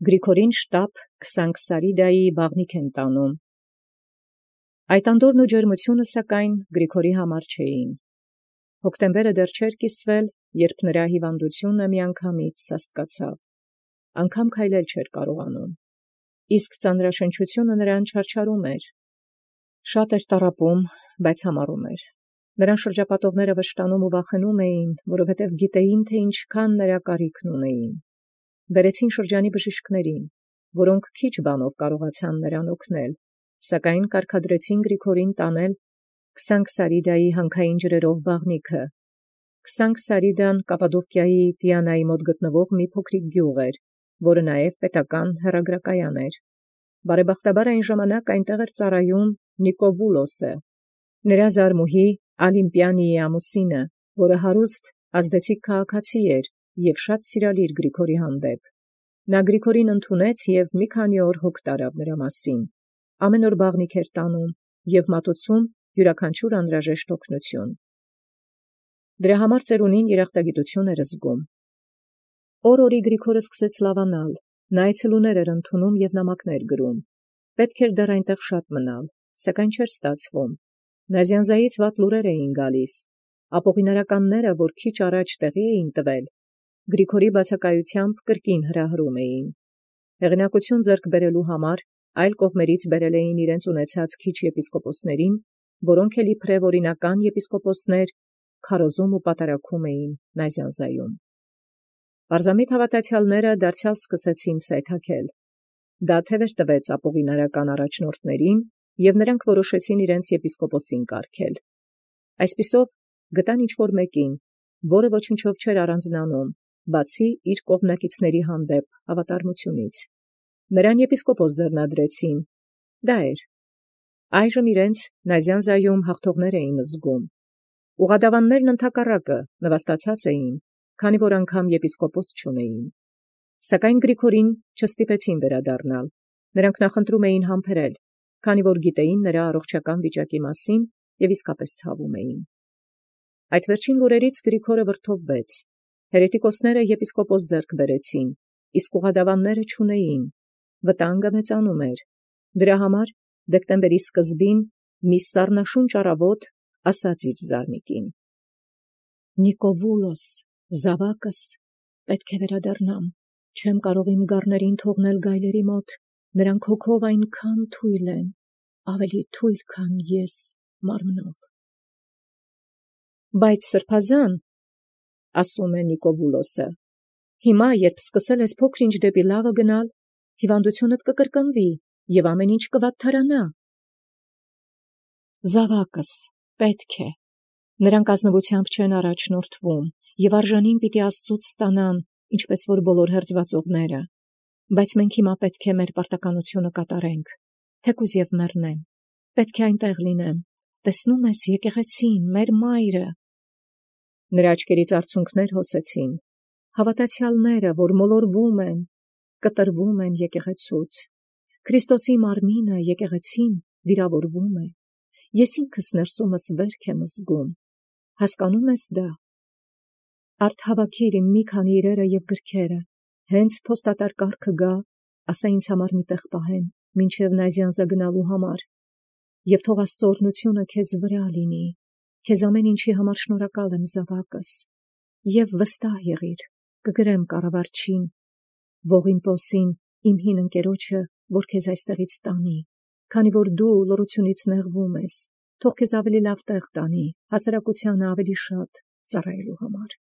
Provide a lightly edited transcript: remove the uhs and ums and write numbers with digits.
Գրիգորին շտապ Քսանքսարիդայի բաղնիք են տանում։ Այդ անդորն ու ջերմությունը սակայն Գրիգորի համար չէին։ Հոկտեմբերը դեռ չէր կիսվել, երբ նրա հիվանդությունը միանգամից սաստկացավ, անգամ քայլել չէր կարողանում, իսկ ծանրաշնչությունը նրան չարչարում էր։ Շատ էր տառապում, բայց համառում էր։ Նրան շրջապատողները վշտանում ու վախենում էին, որովհետև գիտեին, թե ինչքան նրա կարիքն ունեին։ Բերեցին շրջանի բժիշկներին, որոնք քիչ բանով կարողացան նրան օգնել, սակայն կարգադրեցին Գրիգորին տանել Քսանքսարիդայի հանքային ջրերով բաղնիքը։ Քսանքսարիդան Կապադովկիայի Տիանայի մոտ գտնվող մի փոքրիկ գյուղ էր, որը նաև պետական հեռագրակայան էր։ Բարեբախտաբար այն ժամանակ այնտեղ էր ծառայում Նիկովուլոսը, նրա զարմուհի Ալիմպիանիի ամուսինը, որը հարուստ ազդեցիկ քաղաքացի էր և շատ սիրալիր Գրիգորի հանդեպ։ Նա Գրիգորին ընդունեց և մի քանի օր հոգ տարավ նրա մասին։ Ամեն օր բաղնիք էր տանում և մատուցում յուրաքանչյուր անհրաժեշտ օգնություն։ Դրա համար ծերունին երախտագիտություն էր զգում։ Օր-օրի Գրիգորը սկսեց լավանալ, նա այցելուներ էր ընդունում և նամակներ գրում։ Պետք էր դեռ այնտեղ շատ մնալ, սակայն չէր ստացվում։ Նազյանզայից վատ լուրեր էին գալիս։ Ապօղինարականները, որ քիչ առաջ տեղի էին տվել, Գրիգորի բացակայությամբ կրկին հրահրում էին։ Հեղինակություն ձեռք բերելու համար այլ կողմերից բերել էին իրենց ունեցած քիչ եպիսկոպոսներին, որոնք էլ իբրև օրինական եպիսկոպոսներ քարոզում ու պատարագում էին Նազյանզայում։ Պարզամիտ հավատացյալները դարձյալ սկսեցին սայթաքել։ Դա թևեր տվեց ապօղինարական առաջնորդներին, և նրանք որոշեցին իրենց եպիսկոպոսին կարգել։ Այսպիսով գտան ինչ-որ մեկին, որը ոչնչով չէր առանձնանում, բացի իր կողմնակիցների հանդեպ հավատարմությունից։ Նրան եպիսկոպոս ձեռնադրեցին։ Դա էր։ Այժմ իրենց Նազյանզայում հաղթողներ էին զգում։ Ուղղադավաններն ընդհակառակը նվաստացած էին, քանի որ անգամ եպիսկոպոս չունեին։ Սակայն Գրիգորին չստիպեցին վերադառնալ։ Նրանք նախընտրում էին համբերել, քանի որ գիտեին նրա առողջական վիճակի մասին և իսկապես ցավում էին։ Այդ վերջին լուրերից Գրիգորը վրդովվեց։ Հերետիկոսները եպիսկոպոս ձեռք բերեցին, իսկ ուղղադավանները չունեին։ Վտանգը մեծանում էր։ Դրա համար դեկտեմբերի սկզբին մի սառնաշունչ առավոտ ասաց իր զարմիկին. «Նիկովուլոս, զավակս, պետք է վերադառնամ։ Չեմ կարող իմ գառներին թողնել գայլերի մոտ, նրանք հոգով այնքան թույլ են, ավելի թույլ, քան ես մարմնով»։ Բայց սրբազան, ասում է Նիկովուլոսը, հիմա, երբ սկսել ես փոքր-ինչ դեպի լավը գնալ, հիվանդությունդ կկրկնվի և ամեն ինչ կվատթարանա։ Զավակս, պետք է։ Նրանք ազնվությամբ չեն առաջնորդվում և արժանին պիտի Աստծուց ստանան, ինչպես որ բոլոր հերձվածողները։ Բայց մենք հիմա պետք է մեր պարտականությունը կատարենք, թեկուզ և մեռնեմ։ Պետք է այնտեղ լինեմ։ Տեսնում ես եկեղեցին, մեր մայրը։ Նրա աչքերից արցունքներ հոսեցին։ Հավատացյալները, որ մոլորվում են, կտրվում են եկեղեցուց։ Քրիստոսի մարմինը, եկեղեցին, վիրավորվում է։ Ես ինքս ներսումս վերք եմ զգում։ Հասկանում ես դա։ Արդ հավաքիր իմ մի քանի իրերը և գրքերը, հենց փոստատար կարգը գա, ասա ինձ համար մի տեղ պահեն, մինչև Նազյանզա գնալու համար, և թող Աստծո օրհնությունը քեզ վրա լինի, քեզ ամեն ինչի համար շնորհակալ եմ, զավակս, և վստահ եղիր, կգրեմ կառավարչին, Ողիմպոսին, իմ հին ընկերոջը, որ քեզ այստեղից տանի, քանի որ դու լռությունից նեղվում ես, թող քեզ ավելի լավ տեղ տանի, հասարակությանը ավելի շատ ծառայելու համար։